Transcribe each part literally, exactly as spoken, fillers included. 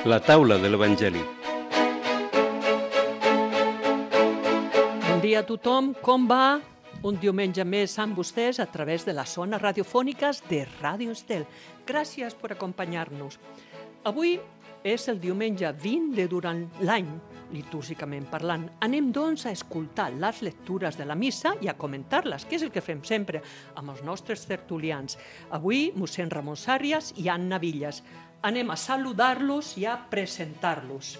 La taula de l'Evangeli. Bon dia a tothom, com va? Un diumenge més amb vostès a través de les zones radiofòniques de Ràdio Estel. Gràcies per acompanyar-nos. Avui és el diumenge vint de durant l'any, litúrgicament parlant. Anem, doncs, a escoltar les lectures de la missa i a comentar-les, que és el que fem sempre amb els nostres tertulians. Avui, mossèn Ramon Sàrrias i Anna Villas. Anem a saludar-los i a presentar-los.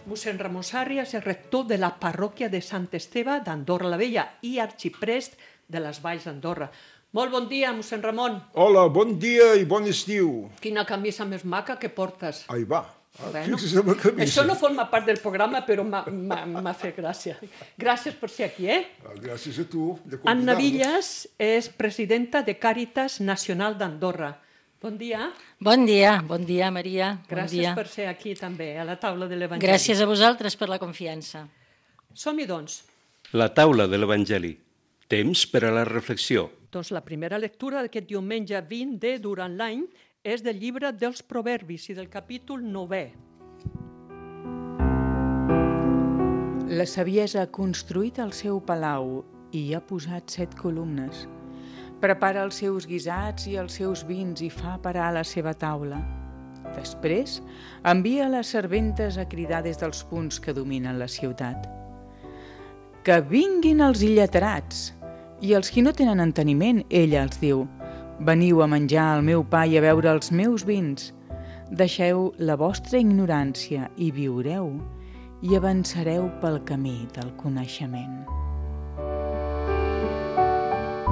Mossèn Ramon Sàrrias és rector de la parròquia de Sant Esteve d'Andorra la Vella i arxiprest de les Valls d'Andorra. Molt bon dia, mossèn Ramon. Hola, bon dia i bon estiu. Quina camisa més maca que portes. Ahí va. Ah, Bueno, fixa't en la camisa. això no forma part del programa, però m'ha- m'ha m'ha fet gràcia. Gràcies per ser aquí, eh? Ah, Gràcies a tu de Anna convidar-me. Villas és presidenta de Càritas Nacional d'Andorra. Bon dia. Bon dia, bon dia, Maria. Bon Gràcies dia. per ser aquí també, a la taula de l'Evangeli. Gràcies a vosaltres per la confiança. Som-hi, doncs. La taula de l'Evangeli. Temps per a la reflexió. Doncs la primera lectura d'aquest diumenge vint de durant l'any és del llibre dels Proverbis i del capítol novè. La saviesa ha construït el seu palau i hi ha posat set columnes. Prepara els seus guisats i els seus vins i fa parar la seva taula. Després, envia les serventes a cridar des dels punts que dominen la ciutat. Que vinguin els illetrats! I els qui no tenen enteniment, ella els diu: veniu a menjar el meu pa i a beure els meus vins. Deixeu la vostra ignorància i viureu, i avançareu pel camí del coneixement.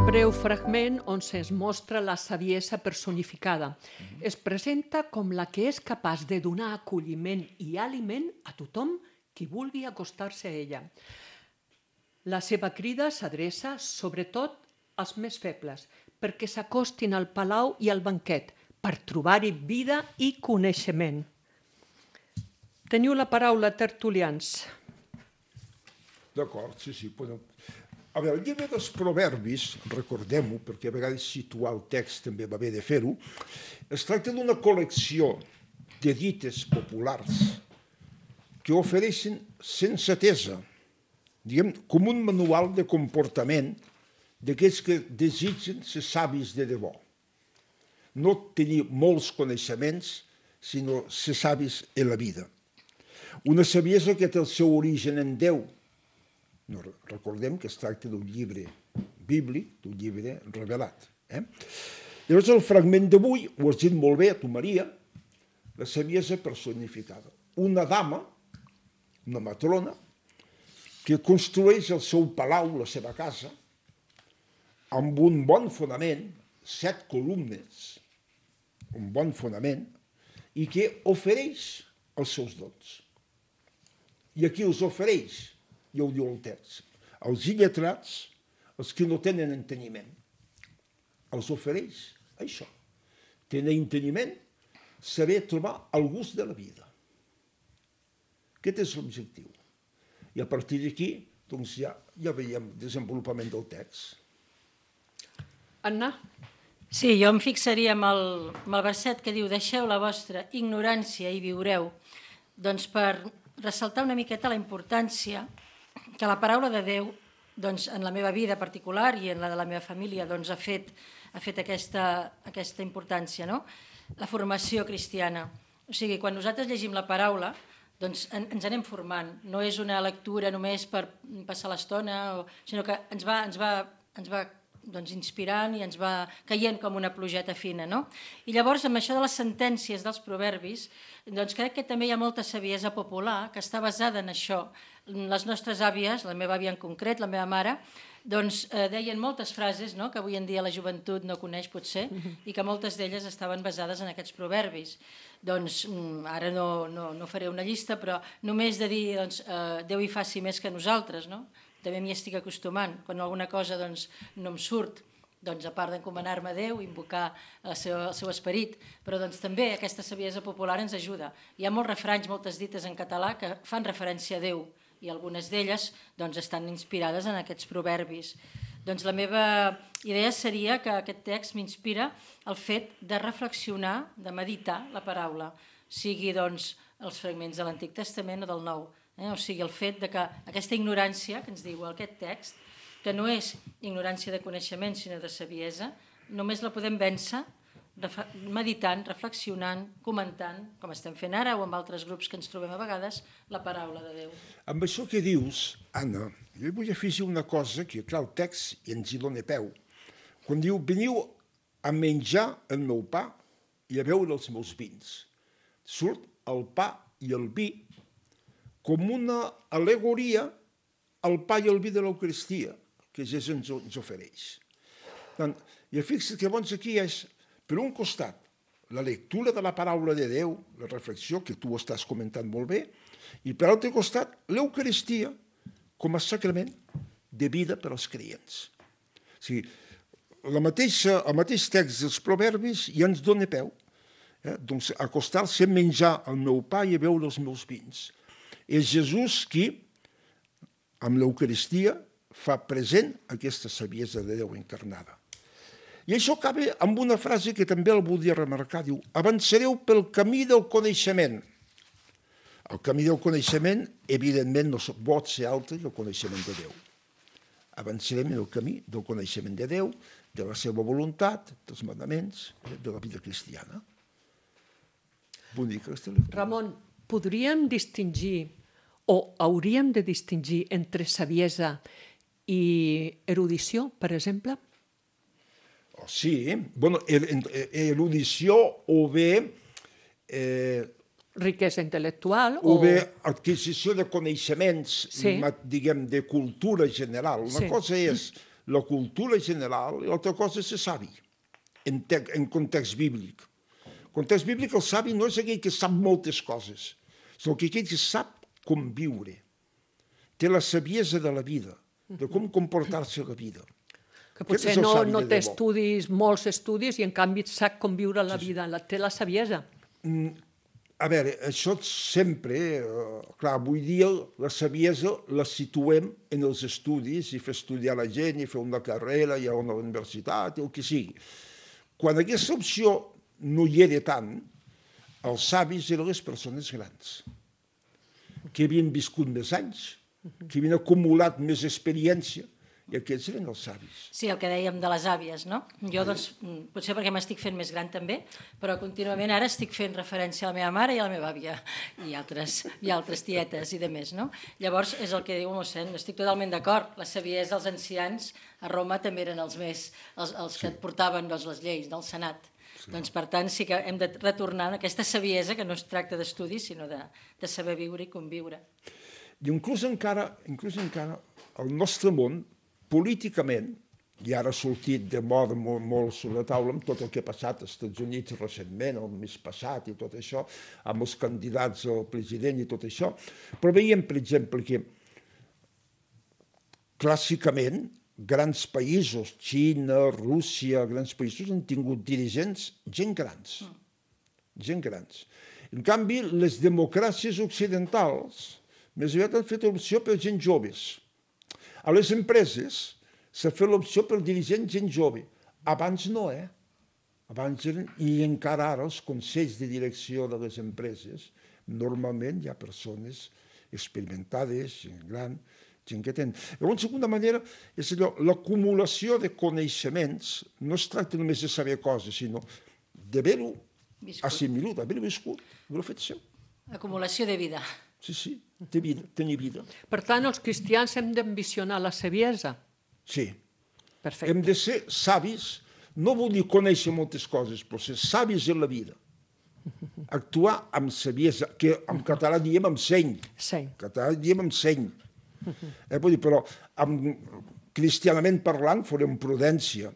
Breu fragment on se'ns mostra la saviesa personificada. Es presenta com la que és capaç de donar acolliment i aliment a tothom qui vulgui acostar-se a ella. La seva crida s'adreça sobretot als més febles, perquè s'acostin al palau i al banquet, per trobar-hi vida i coneixement. Teniu la paraula, tertulians. D'acord, sí, sí. Podem... A veure, el llibre dels Proverbis, recordem-ho, perquè a vegades situar el text també va bé de fer-ho, es tracta d'una col·lecció de dites populars que ofereixen sensatesa, diguem, com un manual de comportament d'aquells que desitgen ser savis de debò. No tenir molts coneixements, sinó ser savis en la vida. Una saviesa que té el seu origen en Déu. No, recordem que es tracta d'un llibre bíblic, d'un llibre revelat. Eh? Llavors el fragment d'avui, ho has dit molt bé, tu Maria, la saviesa personificada. Una dama, una matrona, que construeix el seu palau, la seva casa, amb un bon fonament, set columnes, un bon fonament, i que ofereix els seus dons. I aquí els ofereix, ja ho diu el text, els illetrats, els que no tenen enteniment. Els ofereix això. Tenir enteniment, saber trobar el gust de la vida. Aquest és l'objectiu. I a partir d'aquí, doncs ja, ja veiem el desenvolupament del text. Anna? Sí, jo em fixaria amb el, amb el verset que diu: deixeu la vostra ignorància i viureu. Doncs per ressaltar una miqueta la importància que la paraula de Déu, doncs, en la meva vida particular i en la de la meva família, doncs, ha fet, ha fet aquesta, aquesta importància, no? La formació cristiana. O sigui, quan nosaltres llegim la paraula, doncs en, ens anem formant. No és una lectura només per passar l'estona, o, sinó que ens va, ens va, ens va doncs, inspirant i ens va caient com una plugeta fina. No? I llavors, amb això de les sentències dels proverbis, doncs crec que també hi ha molta saviesa popular que està basada en això. Les nostres àvies, la meva àvia en concret, la meva mare, doncs eh, deien moltes frases, no?, que avui en dia la joventut no coneix potser, i que moltes d'elles estaven basades en aquests proverbis. Doncs ara no, no, no faré una llista, però només de dir doncs, eh, Déu hi faci més que nosaltres, no? També m'hi estic acostumant. Quan alguna cosa doncs, no em surt, doncs, a part d'encomanar-me a Déu, invocar el seu, el seu esperit, però doncs, també aquesta saviesa popular ens ajuda. Hi ha molts refranys, moltes dites en català que fan referència a Déu, i algunes d'elles doncs, estan inspirades en aquests proverbis. Doncs la meva idea seria que aquest text m'inspira el fet de reflexionar, de meditar la paraula. O sigui doncs, els fragments de l'Antic Testament o del Nou. Eh? O sigui, el fet de que aquesta ignorància que ens diu aquest text, que no és ignorància de coneixement, sinó de saviesa, només la podem vèncer meditant, reflexionant, comentant, com estem fent ara o amb altres grups que ens trobem a vegades, la paraula de Déu. Amb això que dius, Anna, jo vull afegir una cosa que, clar, el text ens hi dona peu. Quan diu, veniu a menjar el meu pa i a beure els meus vins. Surt el pa i el vi com una al·legoria al pa i al vi de l'Eucaristia que Jesús ens, ens ofereix. Tant, I fixa't que llavors aquí és, per un costat, la lectura de la paraula de Déu, la reflexió que tu estàs comentant molt bé, i per l'altre costat, l'Eucaristia com a sacrament de vida per als creients. O sigui, la mateixa, el mateix text dels proverbis ja ens dona peu. Eh? Doncs acostar-se a menjar el meu pa i a beure els meus vins. És Jesús qui, amb l'Eucaristia, fa present aquesta saviesa de Déu encarnada. I això acaba amb una frase que també el volia remarcar. Diu, avançareu pel camí del coneixement. El camí del coneixement, evidentment, no pot ser altre que el coneixement de Déu. Avançarem en el camí del coneixement de Déu, de la seva voluntat, dels manaments, de la vida cristiana. Bonica aquesta lectura. Ramon, podríem distingir, o hauríem de distingir entre saviesa i erudició, per exemple? Oh, sí, bueno, erudició o bé... Eh, riquesa intel·lectual o... O bé o... adquisició de coneixements, sí. diguem, de cultura general. Una sí. cosa és la cultura general i l'altra cosa és ser savi, en, te... en context bíblic. En context bíblic el savi no és aquell que sap moltes coses, sinó que aquell que sap com viure. Té la saviesa de la vida, de com comportar-se a la vida. Que potser no, no té estudis, molts estudis, i en canvi sap com viure la vida, la, té la saviesa. Mm, a veure, això sempre, eh, clar, avui dia la saviesa la situem en els estudis i fer estudiar la gent i fer una carrera i a una universitat, el que sigui. Quan aquesta opció no hi era tant, els savis eren les persones grans, que havien viscut més anys, que havien acumulat més experiència, i aquests eren els savis. Sí, el que dèiem de les àvies, no? Jo, doncs, potser perquè m'estic fent més gran també, però contínuament ara estic fent referència a la meva mare i a la meva àvia, i altres, i altres tietes i de més, no? Llavors, és el que diu el mossèn, estic totalment d'acord, la saviesa dels ancians a Roma també eren els més, els, els que sí. portaven doncs, les lleis del Senat. Sí. Doncs, per tant, sí que hem de retornar a aquesta saviesa que no es tracta d'estudi, sinó de, de saber viure i conviure. I inclús encara, inclús encara el nostre món, políticament, i ara ha sortit de moda molt, molt sobre la taula amb tot el que ha passat als Estats Units recentment, el mes passat i tot això, amb els candidats al president i tot això, però veiem, per exemple, que clàssicament grans països, Xina, Rússia, grans països han tingut dirigents gent grans, gent grans. En canvi, les democràcies occidentals més aviat han fet opció per gent joves. A les empreses s'ha fet l'opció per dirigents gent jove. Abans no, eh? Abans eren, i encara ara els consells de direcció de les empreses, normalment hi ha persones experimentades, gent gran, gent que tenen. Llavors, d'alguna manera, és allò, l'acumulació de coneixements no es tracta només de saber coses, sinó d'haver-ho assimilat, d'haver-ho viscut, d'haver-ho fet seu. Acumulació de vida. Sí, sí, de vida, tenir vida. Per tant, els cristians hem d'ambicionar la saviesa. Sí. Perfecte. Hem de ser savis, no vol dir conèixer moltes coses, però ser savis en la vida. Actuar amb saviesa, que en català diem amb seny. Seny. En català diem amb seny. Eh, vull dir, però amb, cristianament parlant farem prudència.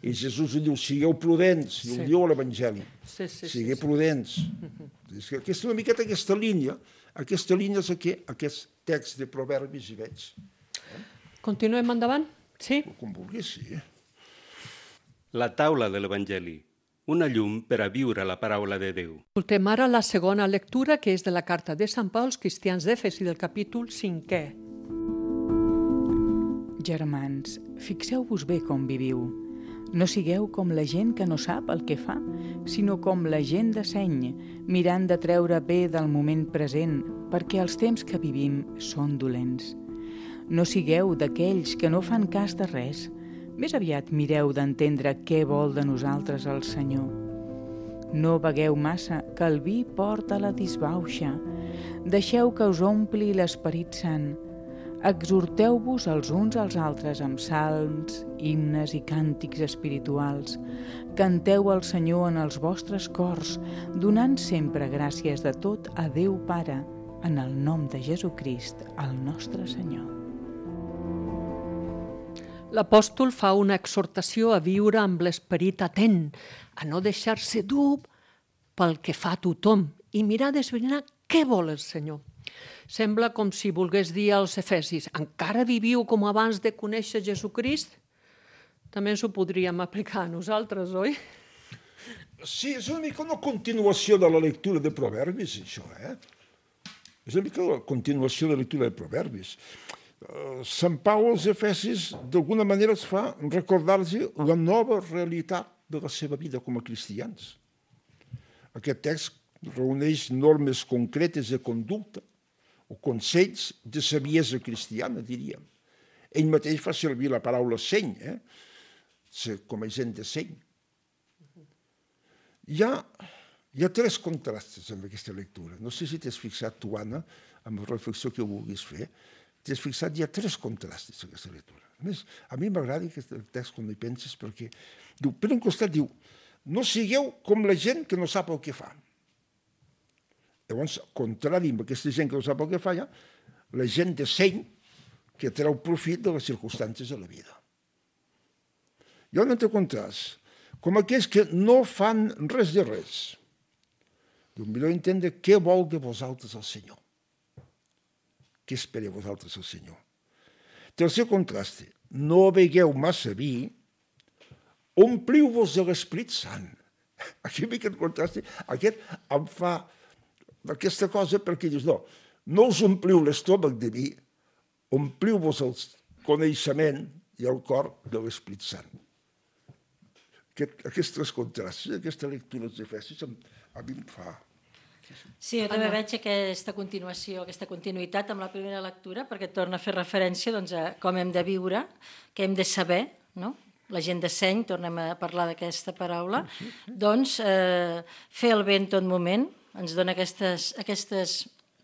I Jesús diu, sigueu prudents, i ho diu a l'Evangeli. Sí, sí, sigueu sí, prudents. Sí. És que aquesta, una miqueta aquesta línia, aquesta línia és aquí, aquest text de proverbis hi veig. Eh? Continuem endavant? Sí? Com vulguis, sí. La taula de l'Evangeli, una llum per a viure la paraula de Déu. Escoltem ara la segona lectura, que és de la carta de Sant Pau als cristians d'Efesi del capítol cinquè. Germans, fixeu-vos bé com viviu, No sigueu com la gent que no sap el que fa, sinó com la gent de seny, mirant de treure bé del moment present, perquè els temps que vivim són dolents. No sigueu d'aquells que no fan cas de res, més aviat mireu d'entendre què vol de nosaltres el Senyor. No begueu massa, que el vi porta la disbauxa. Deixeu que us ompli l'Esperit Sant. Exhorteu-vos els uns als altres amb salms, himnes i càntics espirituals. Canteu al Senyor en els vostres cors, donant sempre gràcies de tot a Déu Pare, en el nom de Jesucrist, el nostre Senyor. L'apòstol fa una exhortació a viure amb l'esperit atent, a no deixar-se dur pel que fa tothom i mirar d'esbrinar què vol el Senyor. Sembla com si volgués dir als efesis, encara viviu com abans de conèixer Jesucrist? També ens ho podríem aplicar a nosaltres, oi? Sí, és una mica una continuació de la lectura de Proverbis, això, eh? És una mica la continuació de la lectura de Proverbis. Sant Pau als Efesis, d'alguna manera, es fa recordar-los la nova realitat de la seva vida com a cristians. Aquest text reuneix normes concretes de conducta o consells de saviesa cristiana, diríem. Ell mateix fa servir la paraula seny, eh? Com a gent de seny. Hi ha, hi ha tres contrastes en aquesta lectura. No sé si t'has fixat, tu, Anna, amb la reflexió que vulguis fer. T'has fixat, hi ha tres contrastes en aquesta lectura. A més, a mi m'agrada aquest text quan hi penses perquè, diu, per un costat diu, no sigueu com la gent que no sap el que fa. Llavors, contrari amb aquesta gent que no sap el que fa, ja, la gent de seny que treu profit de les circumstàncies de la vida. Hi ha un altre contrast, com aquells que no fan res de res. Diu, millor entendre què vol de vosaltres el Senyor. Què espera vosaltres el Senyor? Tercer contrast, no begueu massa vi, ompliu-vos de l'Esperit Sant. Aquí aquest contrast, aquest em fa aquesta cosa perquè dius, no, no us ompliu l'estómac de vi, ompliu-vos el coneixement i el cor de l'Esperit Sant. Aquest, aquests tres contrastos, aquesta lectura dels Efesis, a mi em fa... Sí, jo també veig aquesta continuació, aquesta continuïtat amb la primera lectura, perquè torna a fer referència doncs, a com hem de viure, què hem de saber, no? La gent de seny, tornem a parlar d'aquesta paraula, doncs eh, fer el bé en tot moment, ens dona aquestes, aquestes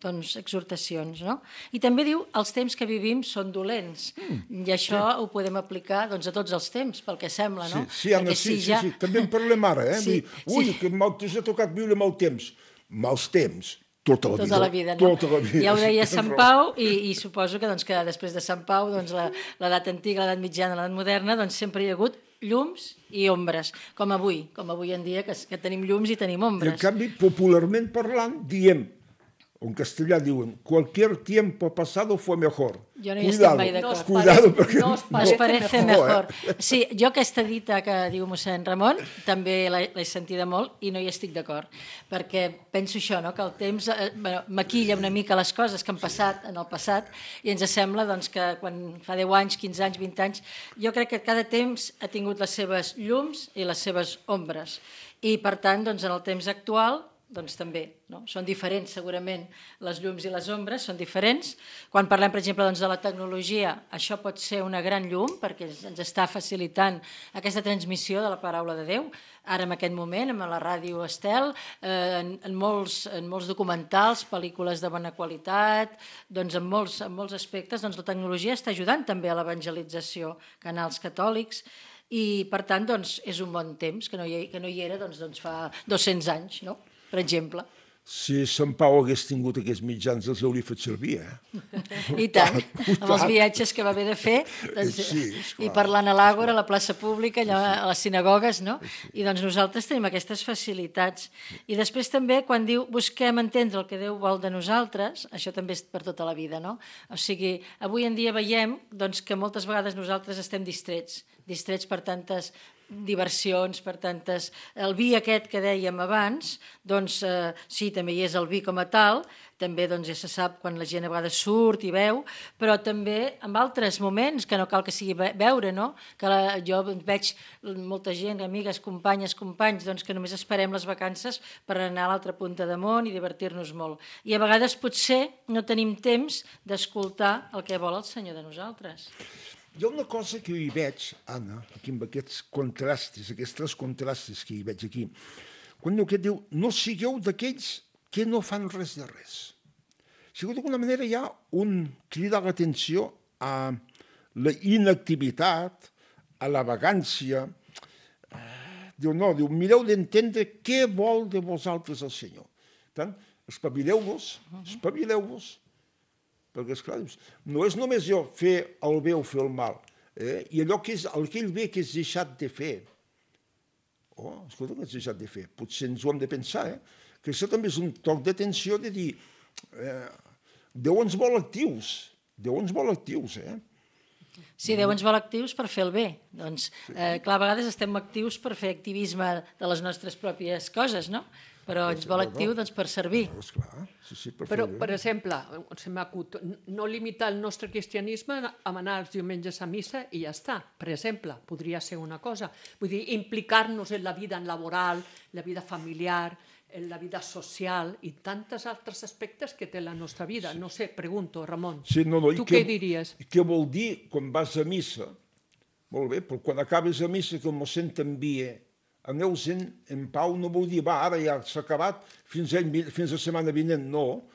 doncs, exhortacions, no? I també diu, els temps que vivim són dolents, mm, i això sí. Ho podem aplicar doncs, a tots els temps, pel que sembla, no? Sí, sí, Anna, sí, sí, ja... sí, també en parlem ara, eh? Sí, ui, sí. Que mal t'ha tocat viure mal temps. Mals temps, tota la vida. Tota la vida, no? Tota la vida. Ja ho deia Sant Pau, i, i suposo que, doncs, que després de Sant Pau, doncs, l'edat antiga, l'edat mitjana, l'edat moderna, doncs, sempre hi ha hagut llums i ombres, com avui, com avui en dia, que, que tenim llums i tenim ombres. I en canvi, popularment parlant, diem, en castellà diuen, cualquier tiempo pasado fue mejor. Jo no hi estic mai d'acord. Cuidado, perquè... No os parece mejor. Sí, jo aquesta dita que diu mossèn Ramon també l'he sentida molt i no hi estic d'acord, perquè penso això, no? Que el temps eh, bueno, maquilla una mica les coses que han passat en el passat i ens sembla doncs, que quan fa deu anys, quinze anys, vint anys, jo crec que cada temps ha tingut les seves llums i les seves ombres. I, per tant, doncs, en el temps actual doncs també, no? Són diferents segurament les llums i les ombres, són diferents. Quan parlem, per exemple, doncs, de la tecnologia, això pot ser una gran llum perquè ens està facilitant aquesta transmissió de la paraula de Déu. Ara, en aquest moment, amb la ràdio Estel, eh, en, en, molts, en molts documentals, pel·lícules de bona qualitat, doncs en molts, en molts aspectes doncs, la tecnologia està ajudant també a l'evangelització, canals catòlics, i per tant doncs, és un bon temps que no hi, que no hi era doncs, doncs, fa dos-cents anys, no? Per exemple. Si Sant Pau hagués tingut aquests mitjans, els hauria fet servir, eh? I tant, amb els viatges que va haver de fer, doncs, sí, i parlant a l'Àgora, a la plaça pública, allà a les sinagogues, no? I doncs nosaltres tenim aquestes facilitats. I després també, quan diu busquem entendre el que Déu vol de nosaltres, això també és per tota la vida, no? O sigui, avui en dia veiem doncs, que moltes vegades nosaltres estem distrets, distrets per tantes diversions, per tantes... El vi aquest que dèiem abans, doncs eh, sí, també hi és el vi com a tal, també doncs, ja se sap quan la gent a vegades surt i veu, però també en altres moments, que no cal que sigui veure, no? Que la, jo veig molta gent, amigues, companyes, companys, doncs, que només esperem les vacances per anar a l'altra punta de món i divertir-nos molt. I a vegades potser no tenim temps d'escoltar el que vol el Senyor de nosaltres. Hi ha una cosa que hi veig, Anna, aquí amb aquests contrastes, aquests tres contrastes que hi veig aquí, quan diu que diu, no sigueu d'aquells que no fan res de res. Si d'alguna manera hi ha un cridar l'atenció a la inactivitat, a la vagància. Diu, no, diu, mireu d'entendre què vol de vosaltres el Senyor. Per tant, espavileu-vos, espavileu-vos, perquè, esclar, no és només jo fer el bé o fer el mal, eh? I allò que és, el que ell ve que és deixat de fer. Oh, escolta, que és deixat de fer. Potser ens ho hem de pensar, eh? Que això també és un toc d'atenció de dir, eh, Déu ens vol actius, Déu ens vol actius, eh? Sí, Déu ens vol actius per fer el bé. Doncs, eh, clar, a vegades estem actius per fer activisme de les nostres pròpies coses, no? Però ens vol actiu doncs, per servir. Esclar, sí, sí, per Però, fer per exemple, se m'ha acut, no limitar el nostre cristianisme a anar els diumenges a missa i ja està. Per exemple, podria ser una cosa. Vull dir, implicar-nos en la vida laboral, la vida familiar, en la vida social i tantes altres aspectes que té la nostra vida. No sé, pregunto, Ramon, sí, no, no, tu què, què diries? Què vol dir quan vas a missa? Molt bé, però quan acabes a missa que el mossèn t'envia, aneu-se'n en pau, no vol dir, va, ara ja s'ha acabat, fins a, fins a setmana vinent, no.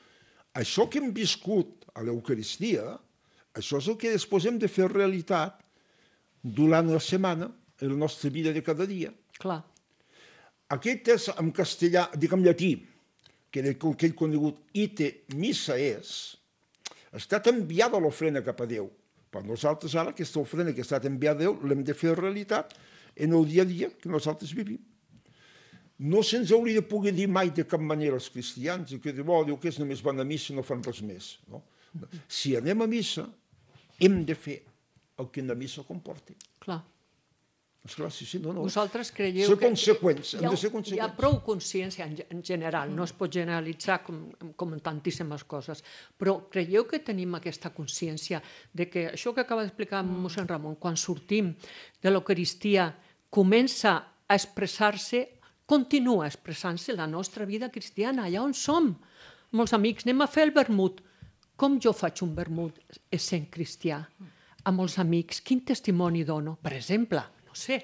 Això que hem viscut a l'Eucaristia, això és el que després hem de fer realitat durant la setmana, en la nostra vida de cada dia. Clar. Aquest és en castellà, dic en llatí, que era aquell conegut ite missa és, ha estat enviada l'ofrena cap a Déu. Per nosaltres ara aquesta ofrena que ha estat enviada a Déu l'hem de fer realitat en el dia a dia que nosaltres vivim. No se'ns hauria de poder dir mai de cap manera als cristians que diu, oh, Déu que és només van a missa i no fan res més. No? Si anem a missa, hem de fer el que la missa comporti. Clar. Esclar, sí, sí, no, no. Vosaltres creieu ser que conseqüents, hem hi ha, de ser conseqüents. hi ha prou consciència en, en general, no es pot generalitzar com, com en tantíssimes coses, però creieu que tenim aquesta consciència de que això que acaba d'explicar mossèn Ramon, quan sortim de l'Eucaristia, comença a expressar-se, continua expressant-se la nostra vida cristiana, allà on som. Molts amics, anem a fer el vermut. Com jo faig un vermut essent cristià? A molts amics, quin testimoni dono? Per exemple, no sé.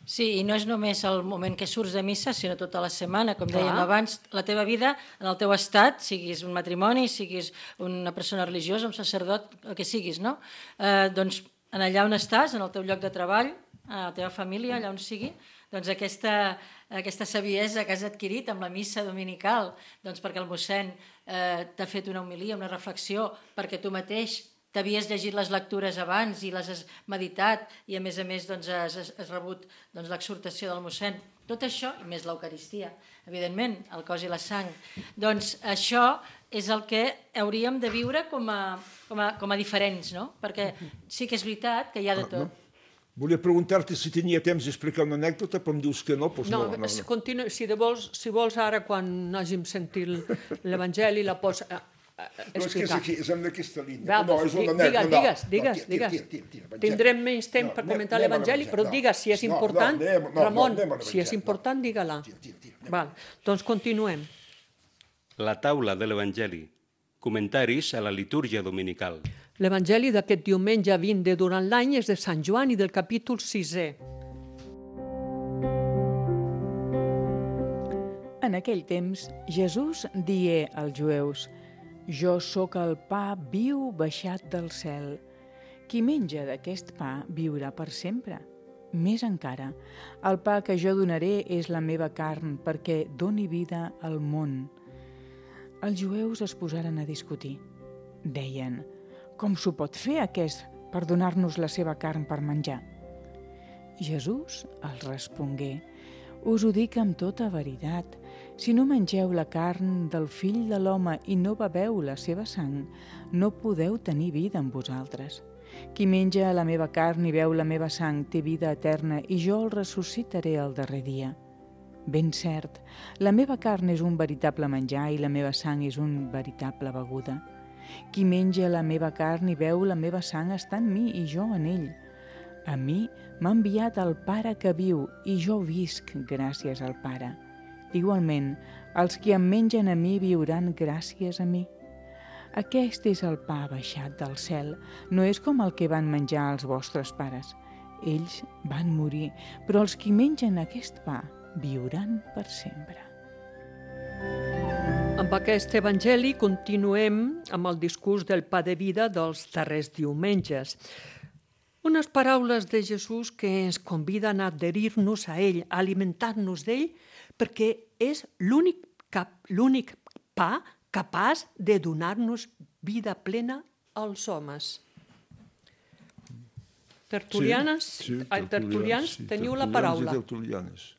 Sí, i no és només el moment que surts de missa, sinó tota la setmana, com Clar. dèiem abans, la teva vida, en el teu estat, siguis un matrimoni, siguis una persona religiosa, un sacerdot, el que siguis, no? Eh, doncs, en allà on estàs, en el teu lloc de treball, a la teva família, allà on sigui, doncs aquesta, aquesta saviesa que has adquirit amb la missa dominical, doncs perquè el mossèn eh, t'ha fet una homilia, una reflexió, perquè tu mateix t'havies llegit les lectures abans i les has meditat i a més a més doncs, has, has rebut doncs, l'exhortació del mossèn. Tot això, i més l'Eucaristia, evidentment, el cos i la sang. Doncs això és el que hauríem de viure com a, com a, com a diferents, no? Perquè sí que és veritat que hi ha de tot. Volia preguntar-te si tenia temps d'explicar una anècdota, però em dius que no, doncs no. No, no, no. Continu, si, de vols, si vols ara, quan hàgim sentit l'Evangeli, la pots eh, explicar. No, és que és aquí, és en aquesta línia. Va, no, és una anècdota. Digues, no, digues, no, digues. tira, tira, tira, tira, Tindrem menys temps no, per anem, comentar anem l'Evangeli, però no. digues, si és no, important, no, anem, no, Ramon, no, si és important, no. digue-la. Tira, tira, tira, Val, doncs continuem. La taula de l'Evangeli. Comentaris a la litúrgia dominical. L'Evangeli d'aquest diumenge vint de durant l'any és de Sant Joan i del capítol sisè. En aquell temps, Jesús digué als jueus: «Jo sóc el pa viu baixat del cel. Qui menja d'aquest pa viurà per sempre. Més encara, el pa que jo donaré és la meva carn perquè doni vida al món». Els jueus es posaren a discutir. Deien: «Com s'ho pot fer aquest per donar-nos la seva carn per menjar?» Jesús els respongué: «Us ho dic amb tota veritat. Si no mengeu la carn del Fill de l'Home i no beveu la seva sang, no podeu tenir vida en vosaltres. Qui menja la meva carn i beu la meva sang té vida eterna i jo el ressuscitaré el darrer dia. Ben cert, la meva carn és un veritable menjar i la meva sang és un veritable beguda. Qui menja la meva carn i beu la meva sang està en mi i jo en ell. A mi m'ha enviat el Pare que viu i jo visc gràcies al Pare. Igualment, els qui em mengen a mi viuran gràcies a mi. Aquest és el pa baixat del cel, no és com el que van menjar els vostres pares. Ells van morir, però els qui mengen aquest pa viuran per sempre. Amb aquest evangeli continuem amb el discurs del pa de vida dels darrers diumenges. Unes paraules de Jesús que ens conviden a adherir-nos a ell, a alimentar-nos d'ell, perquè és l'únic cap, l'únic pa capaç de donar-nos vida plena als homes. Tertulianes, sí, sí, ai, tertulians, sí, teniu la paraula. Tertulianes.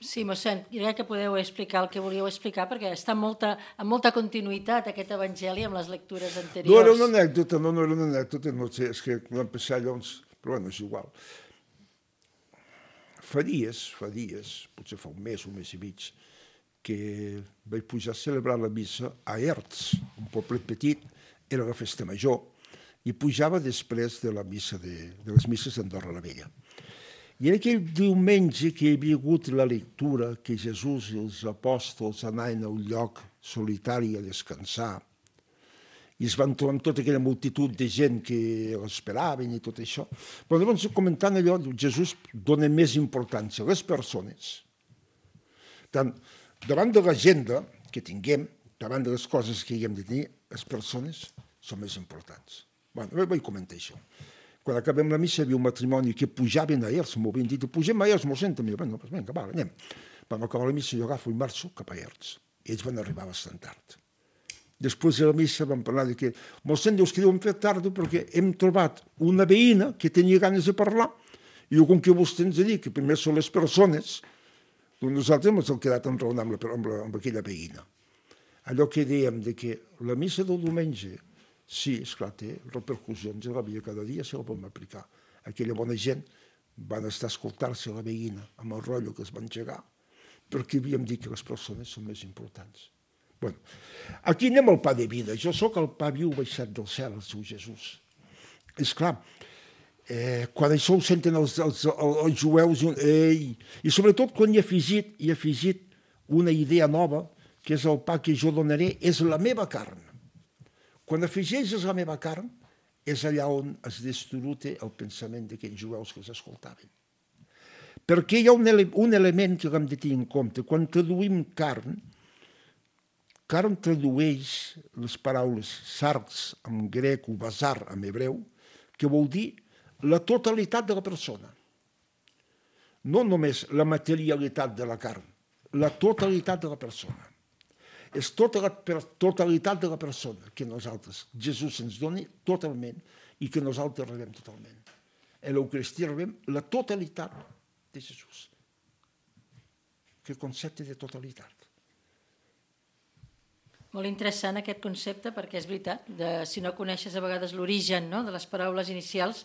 Sí, mossèn, jo crec que podeu explicar el que volíeu explicar, perquè està amb molta, amb molta continuïtat aquest evangeli amb les lectures anteriors. No era una anècdota, no, no era una anècdota, no sé, és que vam passar llavors, però bueno, és igual. Fa dies, fa dies, potser fa un mes, un mes i mig, que vaig pujar a celebrar la missa a Erts, un poblet petit, era la festa major, i pujava després de la missa de, de les misses d'Andorra la Vella. I en aquell diumenge que hi havia hagut la lectura que Jesús i els apòstols anaven a un lloc solitari a descansar i es van trobar amb tota aquella multitud de gent que l'esperaven i tot això. Però llavors, comentant allò, Jesús dona més importància a les persones. Tant, davant de l'agenda que tinguem, davant de les coses que haguem de tenir, les persones són més importants. Bé, vaig comentar això. Quan acabem la missa hi havia un matrimoni que pujaven a Erts, m'ho havien dit, pugem a Erts, m'ho senten, bé, doncs vinga, va, anem. Vam acabar la missa, jo agafo i marxo cap a Erts. Ells van arribar bastant tard. Després de la missa vam parlar de que, mossèn, dius que deuen fer tard perquè hem trobat una veïna que tenia ganes de parlar i jo, com que vostè ens ha dit que primer són les persones, doncs nosaltres ens hem quedat enraonant amb, la, amb, la, amb aquella veïna. Allò que dèiem de que la missa del diumenge, sí, esclar, té repercussions a la vida cada dia, se la podem aplicar. Aquella bona gent van estar a escoltar-se la veïna amb el rotllo que es van engegar, perquè havíem dit que les persones són més importants. Bueno, aquí anem al pa de vida. Jo sóc el pa viu baixat del cel, el seu Jesús. Esclar, eh, quan això ho senten els, els, els jueus, eh, i sobretot quan hi ha afegit, hi ha afegit una idea nova, que és el pa que jo donaré, és la meva carn. Quan afegeixes la meva carn, és allà on es destruta el pensament d'aquells jueus que s'escoltaven. Perquè hi ha un, ele un element que hem de tenir en compte. Quan traduïm carn, carn tradueix les paraules sarx en grec o basar en hebreu, que vol dir la totalitat de la persona. No només la materialitat de la carn, la totalitat de la persona. És tota la totalitat de la persona que nosaltres, Jesús ens doni totalment i que nosaltres rebem totalment. En l'Eucaristia rebem la totalitat de Jesús. Que concepte de totalitat. Molt interessant aquest concepte, perquè és veritat, de, si no coneixes a vegades l'origen, no?, de les paraules inicials,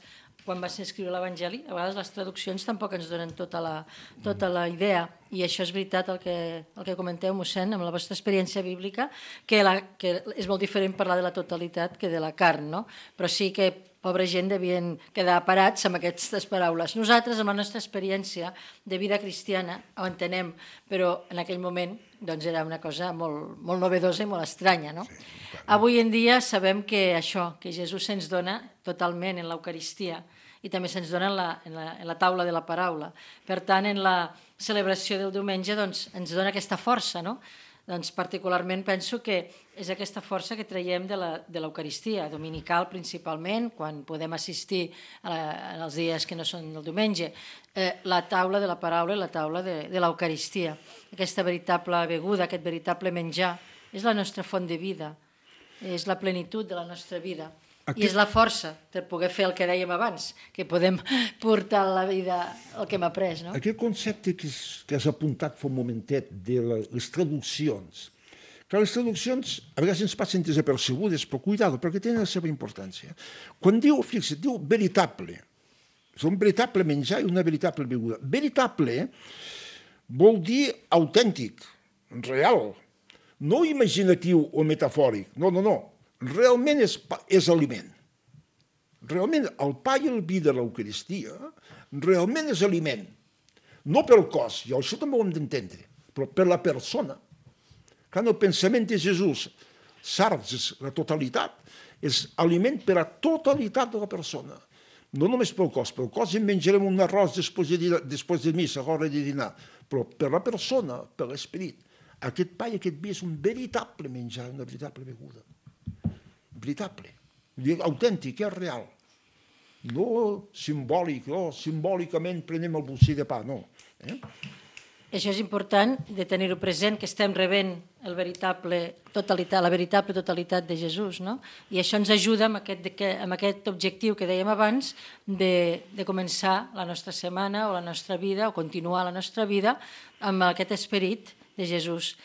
quan va ser escriure l'Evangeli, a vegades les traduccions tampoc ens donen tota la, tota la idea, i això és veritat el que, el que comenteu, mossèn, amb la vostra experiència bíblica, que, la, que és molt diferent parlar de la totalitat que de la carn, no? Però sí que pobra gent devien quedar parats amb aquestes paraules. Nosaltres, amb la nostra experiència de vida cristiana, ho entenem, però en aquell moment doncs era una cosa molt, molt novedosa i molt estranya, no? Sí, avui en dia sabem que això, que Jesús se'ns dona totalment en l'Eucaristia i també se'ns dona en la, en, la, en la taula de la paraula. Per tant, en la celebració del diumenge doncs, ens dona aquesta força, no? Doncs particularment penso que és aquesta força que traiem de l'Eucaristia, dominical principalment, quan podem assistir a la, als dies que no són el diumenge, eh, la taula de la paraula i la taula de, de l'Eucaristia. Aquesta veritable beguda, aquest veritable menjar, és la nostra font de vida, és la plenitud de la nostra vida. Aquest... I és la força per poder fer el que dèiem abans, que podem portar a la vida el que hem après, no? Aquest concepte que, que has apuntat fa un momentet de les traduccions, Que les traduccions a vegades ens passen desapercebudes, però cuidado, perquè tenen la seva importància. Quan diu, fixa't, diu veritable, és un veritable menjar i una veritable beguda. Veritable vol dir autèntic, real, no imaginatiu o metafòric, no, no, no, realment és, és aliment. Realment el pa i el vi de l'Eucaristia realment és aliment, no pel cos, i això també ho hem d'entendre, però per la persona. Quan el pensament de Jesús sargs la totalitat, és aliment per a totalitat de la persona. No només pel cos, pel cos en menjarem un arròs després de, després de missa, a l'hora de dinar, però per la persona, per l'esperit. Aquest pa i aquest vi és un veritable menjar, una veritable beguda. Veritable, autèntic, és real. No simbòlic, no, simbòlicament prenem el bocí de pa, no. Eh? Això és important de tenir-ho present, que estem rebent el veritable totalitat, la veritable totalitat de Jesús, no? I això ens ajuda amb aquest, amb aquest objectiu que dèiem abans de, de començar la nostra setmana o la nostra vida, o continuar la nostra vida amb aquest esperit de Jesús.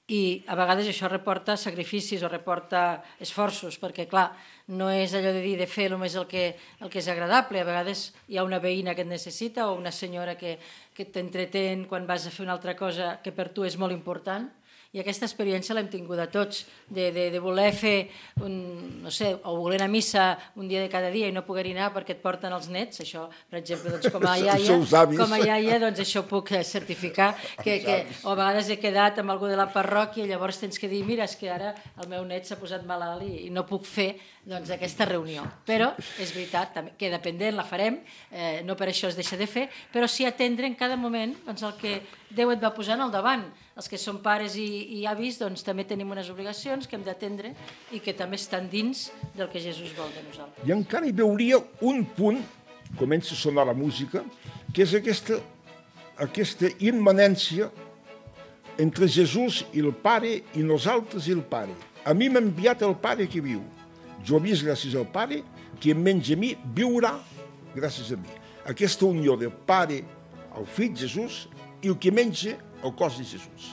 I a vegades això reporta sacrificis o reporta esforços, perquè, clar, no és allò de dir de fer només el que, el que és agradable. A vegades hi ha una veïna que et necessita o una senyora que, que t'entretén quan vas a fer una altra cosa que per tu és molt important. I aquesta experiència l'hem tingut a tots, de, de, de voler fer, un, no sé, o voler anar a missa un dia de cada dia i no poder anar perquè et porten els nets, això, per exemple, doncs, com a iaia, com a iaia doncs, això puc certificar, que, que, o a vegades he quedat amb algú de la parròquia i llavors tens que dir, mira, és que ara el meu net s'ha posat malalt i, i no puc fer doncs, aquesta reunió. Però és veritat, també, que dependent la farem, eh, no per això es deixa de fer, però sí atendre en cada moment doncs, el que Déu et va posant al davant. Els que són pares i, i avis doncs, també tenim unes obligacions que hem d'atendre i que també estan dins del que Jesús vol de nosaltres. I encara hi veuria un punt, comença a sonar la música, que és aquesta, aquesta immanència entre Jesús i el Pare i nosaltres i el Pare. A mi m'ha enviat el Pare que viu. Jo he vist gràcies al Pare, qui em menja a mi viurà gràcies a mi. Aquesta unió del Pare al Fill Jesús i el que menja el cos de Jesús.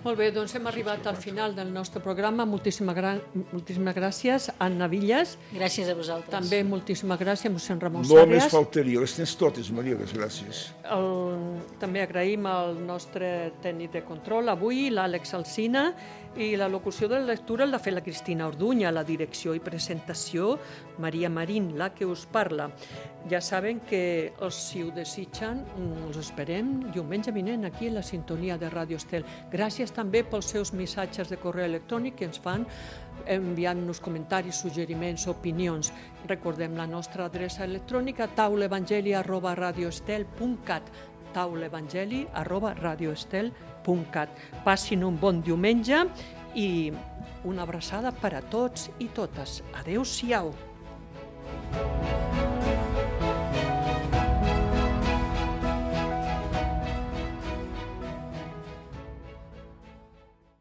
Molt bé, doncs hem arribat al final del nostre programa. Moltíssimes, gra- moltíssimes gràcies, Anna Villas. Gràcies a vosaltres. També moltíssimes gràcies, mossèn Ramon No Sàrrias. més faltaria, les tens totes, Maria, les gràcies. El, també agraïm al nostre tècnic de control avui, l'Àlex Alsina, i la locució de la lectura l'ha fet la Cristina Orduña, la direcció i presentació Maria Marín, la que us parla. Ja saben que si ho desitgen, us esperem diumenge vinent aquí a la sintonia de Ràdio Estel. Gràcies també pels seus missatges de correu electrònic que ens fan enviant-nos comentaris, suggeriments, opinions. Recordem la nostra adreça electrònica taulevangeli arroba radioestel punt cat taulevangeli arroba radioestel punt cat. Passin un bon diumenge i una abraçada per a tots i totes. Adéu-siau.